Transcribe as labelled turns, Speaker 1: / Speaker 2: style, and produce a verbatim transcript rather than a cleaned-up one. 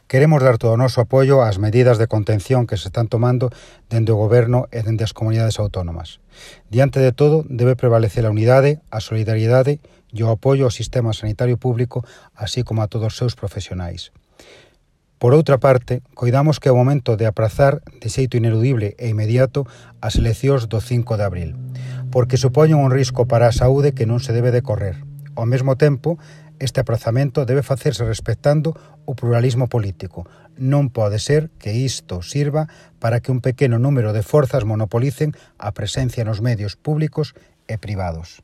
Speaker 1: Queremos dar todo o noso apoio ás medidas de contención que se están tomando dende o Goberno e dende as comunidades autónomas. Diante de todo, debe prevalecer a unidade, a solidariedade e o apoio ao sistema sanitario público, así como a todos os seus profesionais. Por outra parte, coidamos que é o momento de aprazar de xeito ineludible e inmediato as eleccións do cinco de abril, porque supoñen un risco para a saúde que non se debe de correr. Ao mesmo tempo, este aprazamento debe facerse respectando o pluralismo político. Non pode ser que isto sirva para que un pequeno número de forzas monopolicen a presencia nos medios públicos e privados.